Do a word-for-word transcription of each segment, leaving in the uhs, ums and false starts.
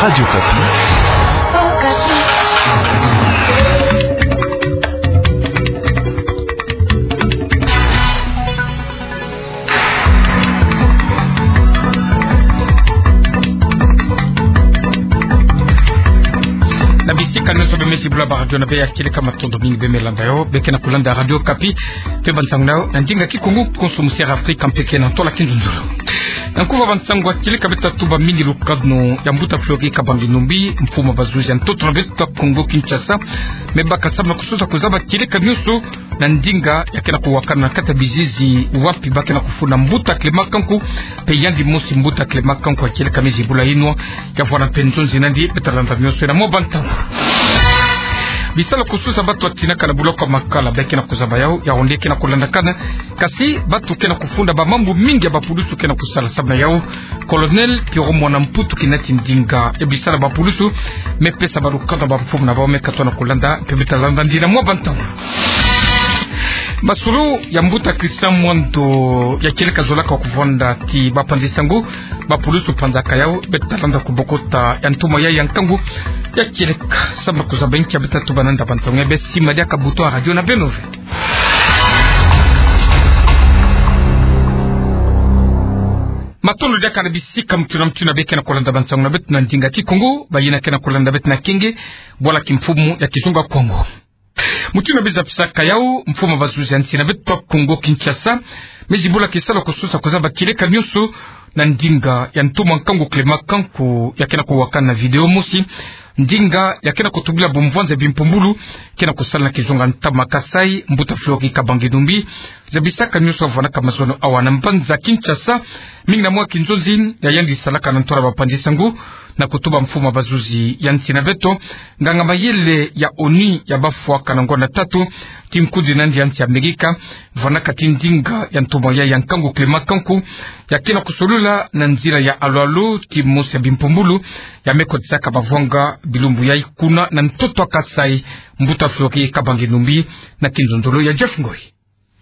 Radio Okapi. Na bisika nyonso bemezi bula ba radio na bê ya kieleka, matondo mingi bê me landa yo, bê ke na kulanda Radio Okapi. Tobâ nsangu na yo na ndinga Kikongo, konso musi ya Afrika mpe ke na ntola kinzonzolo. Na nkufi ya bansangu ya kieleka, bê ta tuba mingi lukadeno ya mbuta Fleury Kabange Numbi, mfumu ya bazuzi ya ntoto na beto ya Kongo Kinshasa, me baka samu na kusosa kuzaba kieleka nyonso na ndinga ya ke na kuwakana na kati ya bizizi wapi ba ke na kufunda mbuta Clément Kanku, mpe yandi mosi mbuta Clément Kanku ya kieleka mezi bula inwa, ya vwanda mpe nzonzi nandi. Bê ta landa nyonso na mwa bansangu. Bisalu kususa bato ya tinaka na buloko ya makala bê ke na kuzaba yau, yau nde ke na kulandakana. Kasi bato ke na kufunda, bamambu mingi ya bapulusu ke na kusala samu na yau. Colonel Pierrot Mwana Mputu kinati ndinga ya bisalu ya bapulusu, me pesa bâ lukadeno na bamfumu na bau, me katoa na kulanda, mpe bê ta landa nandi na mwa bansangu. Masolo ya mbuta Christian Mwando ya kieleka zolaka kuvwanda ti bapanzi sango, bapulusu panzaka yau, bê ta landa kubokota ya ntoma yai ya nkangu ya kieleka. Samu na kuzaba inki, bê ta tuba nanda bansangu ya bê, simba diaka buto ya radio na beno ve. Matondo diaka na bisika mutu na mutu yina bê ke na kulanda bansangu na beto na ndinga Kikongo, bayina ke na kulanda beto na Kienge, bwala kimfumu ya Kizunga Kongo. Mutu yina bê zabisaka yau, mfumu ya bazuzi ya nsi na beto ya Kongo Kinshasa, mezi bula kisalu kususa kuzaba kieleka nyonso na ndinga ya ntoma nkangu Clément Kanku ya ke na kuwakana na video mosi, ndinga ya ke na kutubila bumvwanzi ya bimpumbulu ke na kusala na kizunga ntama Kasaï, mbuta Fleury Kabange Numbi. Zabisaka nyonso vwanaka mazono awa na mbanza Kinshasa, mingi na mwa kinzonzi ya yandi salaka na ntola bapanzi sango, na kutuba mfumu ya bazuzi ya nsi na beto, nganga mayele ya ONU ya bafwaka na ngonda tatu ti nkundi nandi ya nsi Amerika, vwanaka ti ndinga ya ntoma yai ya nkangu Clément Kanku ya ke na kusolula na nzila ya alo-alo ti mosi ya bimpumbulu ya me kotisaka bavwanga bilumbu yai kuna na ntoto ya Kasaï, mbuta Fleury Kabange Numbi, na kinzonzolo ya Jeff Ngoy.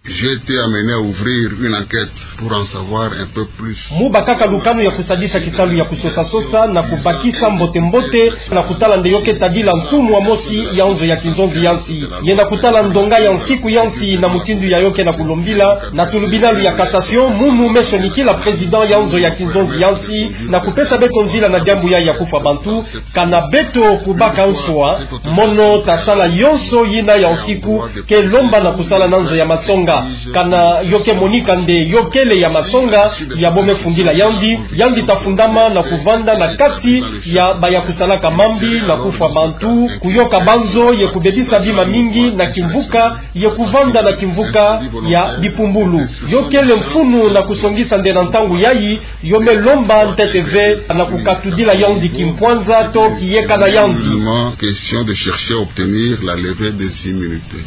J'ai été amené à ouvrir une enquête pour en savoir un peu plus. Mu bakaka lukanu ya kusadisa kisalu ya kusosa-sosa na kubakisa mbote-mbote na kutala nde yo ke tadila nsumu ya mosi ya nzo ya kinzonzi ya nsi, ye na kutala ndonga ya nsiku ya nsi na mutindu ya yo ke na kulombila na tulubinalu ya cassation, munu me sonikila président ya nzo ya kinzonzi ya nsi na kupesa beto nzila na diambu yai ya kufwa bantu. Kana beto kubaka nswa, mono ta sala yonso yina ya nsiku ke lomba na kusala na nzo ya masonga. Kana yo ke monika nde yo kele ya masonga, ya bo me fungila yandi, yandi ta fundama na kuvanda na kati ya baya kusalaka mambi na kufwa bantu, kuyoka banzo ye kubebisa bima mingi na kimvuka, ye kuvanda na kimvuka ya bimpumbulu. Yo kele mfunu na kusongisa nde na ntangu yai, yo me lomba ntete ve na kukatudila yandi kimpwanza to kiyeka na yandi. Nullement question de chercher à obtenir la levée des immunités.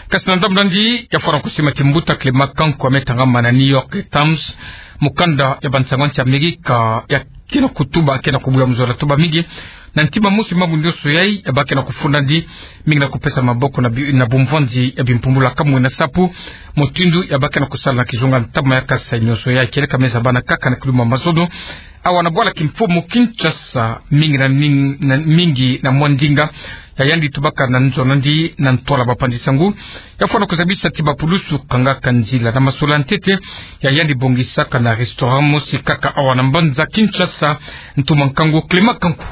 Kasi na ndambu nandi, ya fwana kusima ti mbuta Clément Kanku ya me tangama na New York Times, mukanda ya bansangu ya nsi Amerika ya ke na kutuba, ke na kubula muzola tuba mingi. Na ntima mosi, mambu nyonso yai ya ba ke na kufunda nandi, mingi na kupesa maboko na bi-, na bumvwanzi ya bimpumbulu ya kamwe na sapu, mutindu ya ba ke na kusala na kizunga ntama ya Kasaï, nyonso yai kieleka me zabana kaka na kiluma mazono awa na bwala kimfumu Kinshasa, mingi na ning-, na mingi na mwa ndinga ya yandi tubaka na nzo nandi na ntola bapanzi sango. Ya fwana kuzabisa ti bapulusu kangaka nzila na masolo ya ntete ya yandi bongisaka na restaurant mosi kaka awa na mbanza Kinshasa, ntoma nkangu Clément Kanku.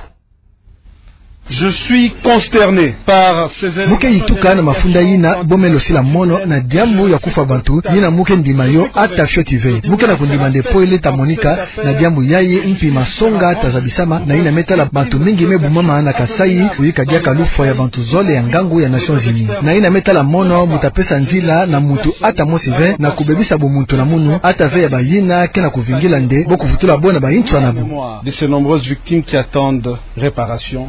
Je suis consterné par ces éléments. Mu ke yituka na mafunda yina bo me losila mono na diambu ya kufwa bantu, yina mu ke ndima yo ata fioti ve. Mu ke na kundima nde polele ta monika na diambu yai, mpi masonga ta zabisama, na yina me tala bantu mingi me bumama na Kasaï, kuyika diaka lufwa ya bantu zole ya ngangu ya Nations Unies. Na yina me tala mono mu ta pesa nzila na muntu ata mosi ve na kubebisa bumuntu na munu, ata ve ya bayina ke na kuvingila nde bo kuvutula bo na bayinswa na bo. De ces nombreuses victimes qui attendent réparation.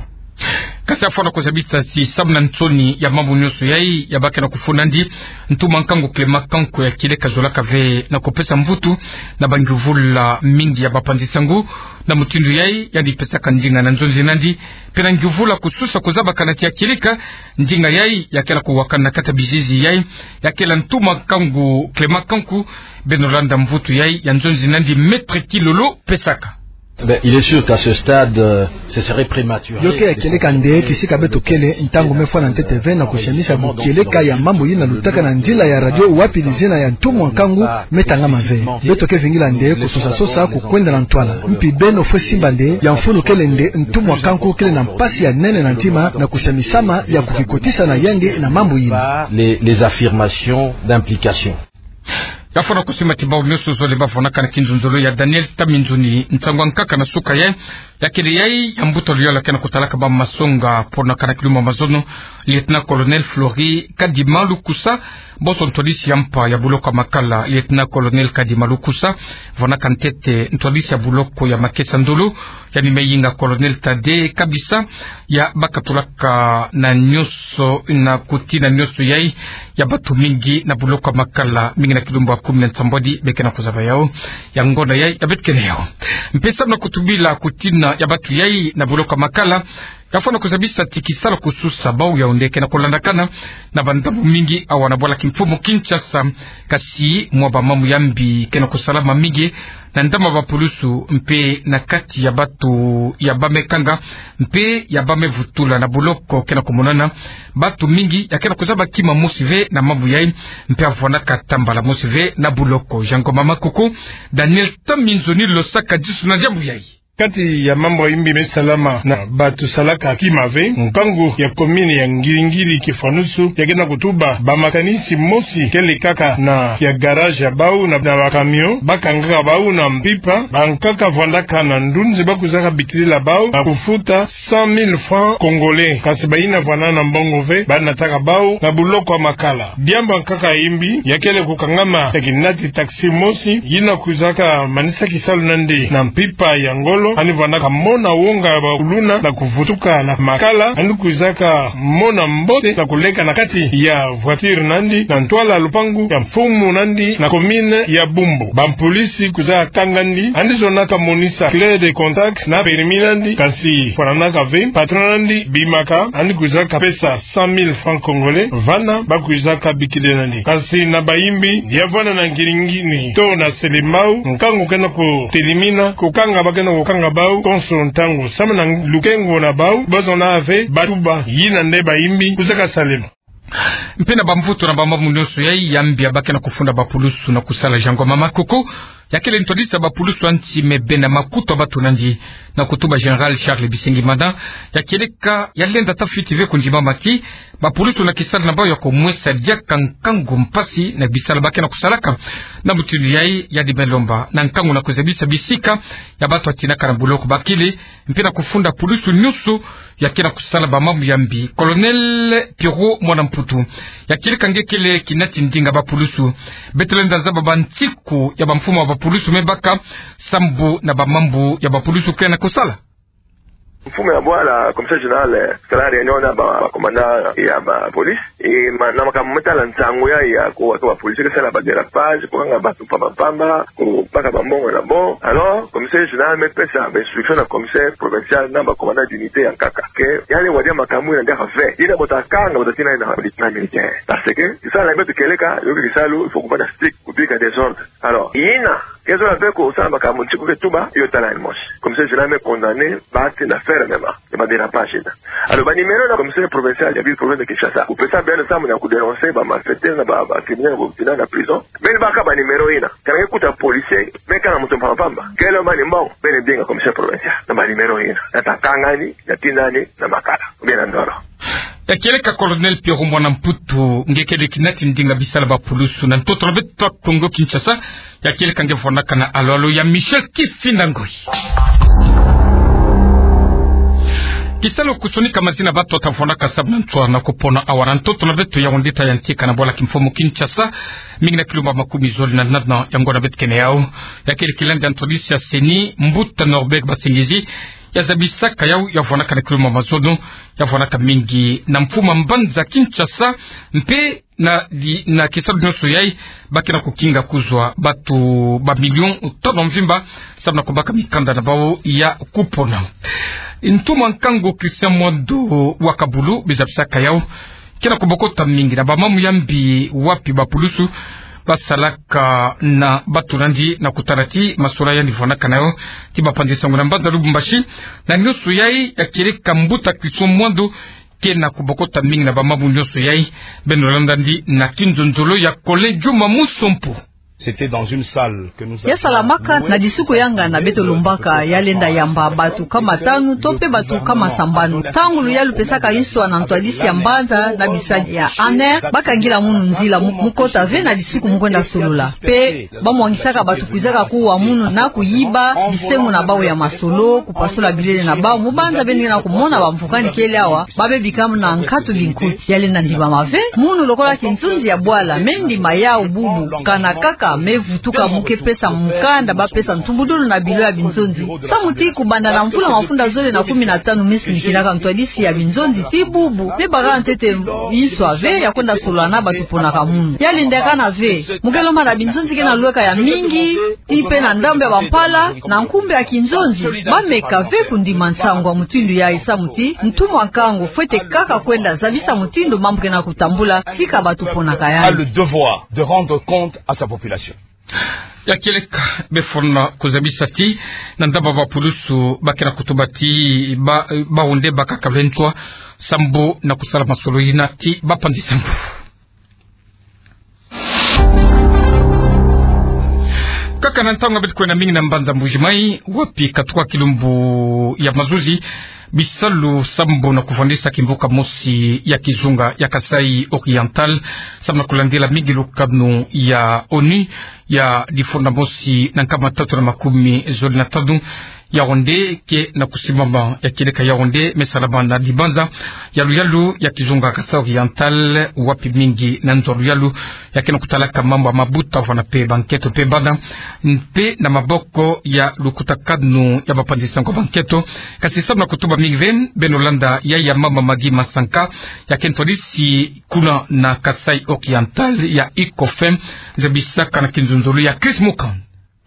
Kasi ya fwana kuzabisa ti samu na nsoni ya mambu nyonso yai ya ba ke na kufunda nandi, ntoma nkangu Clément Kanku ya kieleka zolaka ve na kupesa mvutu na bangiuvula mingi ya bapanzi sango. Na mutindu yai, yandi pesaka ndinga na nzonzi nandi, mpe na ngiuvula kususa kuzabakana ti ya kieleka ndinga yai ya ke na kuwakana na kati ya bizizi yai, ya kele ntoma nkangu Clément Kanku. Beno landa mvutu yai ya nzonzi nandi, Maître Kilolo pesaka. Ben, il est sûr qu'à ce stade, euh, ce serait prématuré. Yo ke ya kieleka nde kisika beto kele, ntangu me fwana ntete ve na kusiamisa bukieleka ya mambu yina lutaka na nzila ya radio, wapi lizina ya ntumwa nkangu me tangama ve. Beto ke vingila nde kusosa-sosa kukwenda na ntwala. Mpi beno fwe simba nde, ya mfunu kele nde ntumwa nkangu kele na mpasi ya nene na ntima na kusiamisama ya kukikotisa na yandi na mambu yina. Les, les affirmations d'implication. Ya fwana kusimba ti bawu nyonso zole ba fwanakana kinzonzolo ya Daniel Taminzoni, nsangu ya nkaka na suka yayi, ya kele yayi ya mbuta luyala ke na kutalaka ba masonga, pona kana kilumbu ya mazono, Lieutenant-colonel Flori Kadima Lukusa, bonso ntwadisi ya mpa ya buloko ya Makala. Lieutenant-colonel Kadima Lukusa, fwanaka ntete ntwadisi ya buloko ya Makesa Ndolo, yandi me yinga Colonel Tade Kabisa, ya bakatulaka na nyonso, na kutina nyonso yayi ya batu mingi na buloko ya Makala, mingi na kilumbu ya kumi na nsambwadi be ke na kuzaba yawu. Ya ngonda yayi ya beto kele yawu. Mpe samu na kutubila kutina ya batu yayi na buloko ya Makala, ya fwana kuzabisa ti kisalu kususa bawu Yaoundé ke na kulandakana na bandambu mingi awa na bwala kimfumu Kinshasa, kasi mwa ba mambu ya mbi ke na kusalama mingi na ndama ba pulusu mpe na kati ya batu ya ba me kanga mpe ya ba me vutula na buloko ke na kumonana. Batu mingi ya ke na kuzaba kima mosi ve na mambu yayi, mpe ya fwanaka tambala mosi ve na buloko. Jean Ngoma Makoko, Daniel Taminzoni Losaka disu na diambu yayi. Kati ya mambu ya mbi me salama na batu salaka kima ve, nkangu ya commune ya Ngiri-Ngiri Kifuanusu ya ke na kutuba ba makanisi mosi kele kaka na ya garage ya bawu na, na ba camion, ba kangaka bawu na mpimpa, bankaka fwandaka na ndunzi ba kwizaka bikilila bawu na kufuta cent mille francs congolais, kasi bayina fwana na mbongo ve, ba nataka bawu na buloko ya Makala. Diambu ya nkaka ya mbi ya kele kukangama ya kinati taxi mosi yina kwizaka manisa kisalu na yandi na mpimpa ya ngolo, yandi fwanaka mona wonga ya ba kuluna na kuvutuka na Makala, yandi kwizaka mona mbote na kuleka na kati ya voiture na yandi na ntwala lupangu ya mfumu na yandi na commune ya Bumbu. Ba mpolisi kwizaka kanga yandi, yandi zonaka monisa clé de contact na permis na yandi, kasi fwananaka ve, patron na yandi bimaka, yandi kwizaka pesa cent mille francs congolais, vana ba kwizaka bikilila yandi. Kasi na ba mbi ya vwanda na Ngiri-Ngiri to na Selembao, nkangu ke na kutelimina, kukanga ba ke na kukanga bawu konso ntangu, samu na lukengo na bawu, ba zona ve ba tuba yina nde ba mbi kwizaka salama. Mpe na ba mvutu na ba mambu nyonso yayi ya mbi ya ba ke na kufunda ba pulusu na kusala. Jean Ngoma Makoko, ya kele ntwadisi ya ba pulusu ya nti me bena makutu ya batu na yandi, na kutuba Général Charles Bisengimana, ya kieleka ya lenda ata fiti ve kundimama ti ba pulusu na kisalu na bawu ya kumwesa diaka nkangu mpasi na bisalu ba ke na kusalaka. Na mutindu yayi, yandi me lomba na nkangu na kuzabisa bisika ya batu ya tinaka na buloko ba kele, mpe na kufunda pulusu nyonso ya ke na kusala ba mambu ya mbi. Colonel Pierrot Mwana Mputu, ya kieleka nge kele kinati ndinga ba pulusu, beto lenda zaba ba nsiku ya ba mfumu ya ba pulusu me baka sambu na ba mambu ya ba pulusu ke na kusala. Mfumu ya bwala, commissaire général, eh, sala réunion na ba, ba commandant ya ba police. E, ma, na makambu me tala nsangu ya, ya ko, ko ba policier ke sala ba dérapage, kukanga batu mpamba-mpamba, kubaka ba mbongo na bo. Alors, commissaire général me pesa ba instruction na commissaire provincial na ba commandant d'unité ya nkaka ke ya lenda wadia makambu yina diaka ve. Yina bo ta kanga, bo ta tina na lieutenant militaire. Parce que kisalu na beto kieleka, yo ke kisalu, il faut kuvanda strict, kubika désordre. Alors, yina ke zola ve kusala makambu nsiku ke tuba, yo tala yandi mosi. Commissaire général me condamner ba tina fermement ya ba dérapage yina. Alors, ba numéro na commissaire provincial ya ville province de Kinshasa, kupesa beno samu na kudénoncer ba malfaiteurs na ba, ba criminels bo tina na prison. Beno baka ba numéro yina. Kana nge kuta policier me kanga muntu mpamba-mpamba, kele mani mbongo, beno dinga commissaire provincial na ba numéro yina. Na ta kanga yandi, na tina yandi na Makala, ou bien na Ndolo. Ya kieleka Colonel Pierrot Mwana Mputu, nge kele kinati ndinga bisalu ba pulusu. Na ntoto na beto Kongo Kinshasa, ya kieleka nge fwanaka na alo-alo ya Michel Kifinda Ngoi. Kisalu kusonika mazina batu ta fwanaka samu na ntswa na kupona awa na ntoto na beto Yaoundé ta yantika na bwala kimfumu Kinshasa, mingi na kilomètre makumi zole na nana ya ngonda beto kene yawu. Ya kele kilandi ya ntwadisi ya CENI, Mbuta Norbert Basengezi, ya zabisaka yawu ya fwanaka na kilomètre mazono, ya fwanaka mingi na mfuma mbanza Kinshasa, mpe na di, na kisalu nyonso yayi, ba kena kukinga kuzwa batu ba million tolo mvimba, samu na kubaka mikanda na bawu ya kupona. Ntuma nkangu Christian Mwando wa Kabulu, bizabisaka yawu, kena kubokota mingi na ba mamu ya mbi wapi ba pulusu basalaka na bato nandi na kutala ti masolo yandi vwanaka na yo ti bapanzi sango na mbanza Lubumbashi. Na nioso yai, ya kieleka mbuta Christian Mwando ke na kubokota mingi na bamambu nioso yai. Beno landa yandi na kinzonzolo ya Colin Juma Musompo. C'était dans une salle que nous avions louée. Ya salamaka na disuku yangana beto lombaka, ya lenda yamba bato kama tanu to pe bato kama sambanu. Ntangu luyalu pesaka nswa na ntwadisi ya mbanza na bisadi ya ANR, bakangila munu nzila, mu-, mu kota ve na disuku mu kwenda solola. Pe bamwangisaka bato kwizaka kuwa munu na kuyiba bisengo na bawu ya masolo, kupasula bilele na bawu, mu banza beno ke na kumona bamvukani kele awa, babebi kama na nkatu binkuti. Ya lenda ndimama ve, munu lokola kinzonzi ya bwala, me ndima yawu bubu, kana kaka me vutuka mu ke pesa mukanda, bapesa ntumbudulu na bilo ya binzonzi. Samu ti kubanda na mvula mafunda zole na kumi na tanu me sinikilaka ntwadisi ya binzonzi ti bubu, me baka ntete nswa ve ya kwenda solola na bato ponaka munu. Ya lenda kana ve, mu ke lomba na binzonzi ke na lweka ya mingi, ti pe na ndambu ya bampala, na nkumbu ya kinzonzi, bameka ve kundima nsangu ya mutindu yai samu ti ntu mwa nkangu fwete kaka kwenda zabisa mutindu mambu ke na kutambula, tika bato ponaka yandi. A le devoir de rendre compte à sa population. Ya kieleka befwana kuzabisa ti na ndambu ya bapulusu ba ke na kutuba ti ba, bawu nde bakaka ve nswa sambu na kusala masolo yina ti bapanzi sango. Kaka na ntangu beto kwenda mingi na mbanza Mbuji-Mayi, wapi katuka kilumbu ya mazuzi, bisalu sambu na kuvwandisa kimvuka mosi ya kizunga ya Kasaï Oriental, sambu na kulandila mingi lukanu ya ONU ya difunda mosi na nkama tatu na makumi zole na tanu, Yaoundé ke na kusimbama. Ya kieleka Yaoundé me salama na dibanza ya luyalu ya kizunga Kasaï Oriental, wapi mingi na nzo ya luyalu ya ke na kutalaka mambu ya mabuta vwana pe bankento pe bana, mpe na maboko ya lukutakanu ya bapanzi sango bankento. Kasi sambu na kutuba mingi ve, beno landa yai ya mama Maggie Masanka, ya ke ntwadisi kuna na Kasaï Oriental ya ICOFEM, zabisaka na kinzonzolo ya Chris Mukand.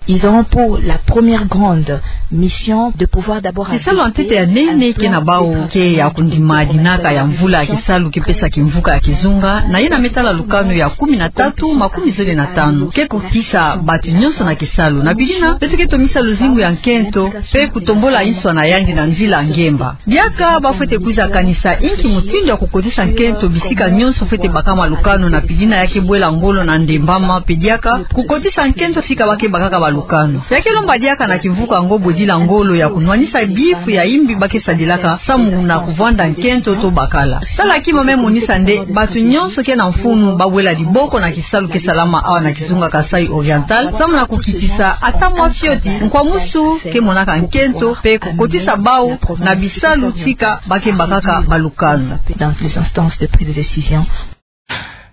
Ils auront pour la première grande mission de pouvoir d'abord... Kisalu ya ntete ya nene ke na bawu ke ya kundima dinaka ya mvula ya kisalu ke pesa kimvuka ya kizunga, na yina me tala lukanu ya kumi na tatu makumi zole na tanu. Ke kukisa bato nyonso na kisalu. Na pili yina, beto ke tomisa luzingu ya nkento, mpe kutombula nswa na yandi na nzila ngemba. Diaka bafwete kwiza kanisa inki mutindu ya kukotisa nkento bisika nyonso fwete bakama lukanu, na pili yina ya ke bwela ngolo na ndembama, mpe diaka kukotisa nkento sika ba ke bakaka balukanu. Ya ke lomba diaka na kimvuka yango bwedila ngolo ya kunwanisa bifu ya imbi ba ke sadilaka samu na kuvwanda nkento to bakala. Tala kima me monisa nde bato nyonso ke na mfunu ba wela diboko na kisalu ke salama awa na kizunga Kasaï Oriental, samu na kukitisa ata mwa fioti nkwamusu ke monaka nkento, mpe kukotisa bawu na bisalu tika ba ke bakaka balukanu. Dans les instances de prise de décision.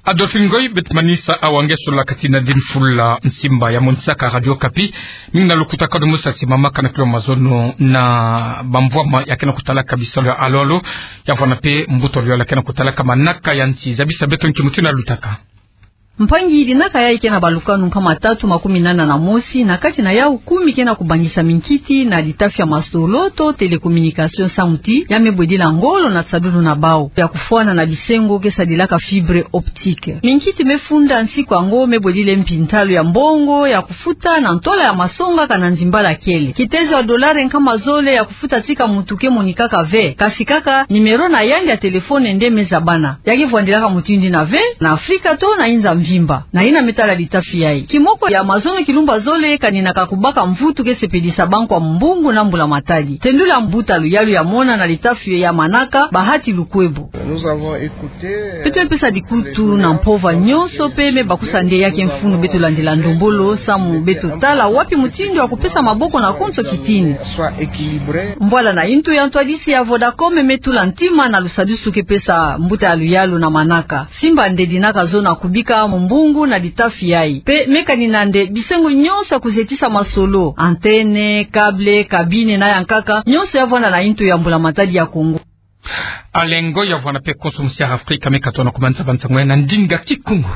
Adolphine Ngoy, beto manisa awa nge sula kati na dini fula nsimba ya monisaka Radio Okapi, mingi na lukutakanu mosi ya simamaka na kilo mazono na bamvwama ya ke na kutalaka bisalu ya alo-alo, ya vwana mpe mbuta ya luyalu ya ke na kutalaka manaka ya nsi. Zabisa beto nki mutindu ya lutaka. Mpangi, dinaka yai ke na balukanu nkama tatu makumi nana na mosi, na kati na yawu kumi ke na kubangisa minkiti na ditafi ya masolo to télécommunication samu ti ya me bwedila ngolo na tisadulu na bawu ya kufwana na bisengo ke sadilaka fibre optique. Minkiti me funda nsiku yango me bwedila mpi ntalu ya mbongo ya kufuta na ntola ya masonga kana nzimbala kele. Kitezo ya dolare nkama zole ya kufuta tika mutu ke monikaka ve, kasi kaka numéro na yandi ya téléphone nde me zabana. Ya ke vwandilaka mutindu yina ve na Afrika to na inza mvimba. Na yina me tala ditafi yai, kimoko ya mazono kilumbu ya zole kaninaka kubaka mvutu ke sepelisa bankwa mbungu na mbula matadi. Tendula mbuta ya luyalu ya mona na ditafi ya manaka Bahati Lukwebo. Beto me pesa dikutu na mpova nyonso mpe me bakusa nde ya ke mfunu beto landila ndombolo samu beto tala wapi mutindu ya kupesa maboko na konso kitini. Mbwala na intu ya ntwadisi ya Vodacom me tula ntima na lusadusu ke pesa mbuta ya luyalu na manaka. Simba nde dinaka zo na kubika mumbungu na ditafi yai. Mpe me kanina nde bisengo nyonso ya kuzetisa masolo, antenne, câble, cabine na ya nkaka, nyonso ya vwanda na intu ya mbula matadi ya Kongo. Alain Ngoy ya vwanda mpe konso mosi ya Afrika me katono kumanisa bansango ya na ndinga Kikongo.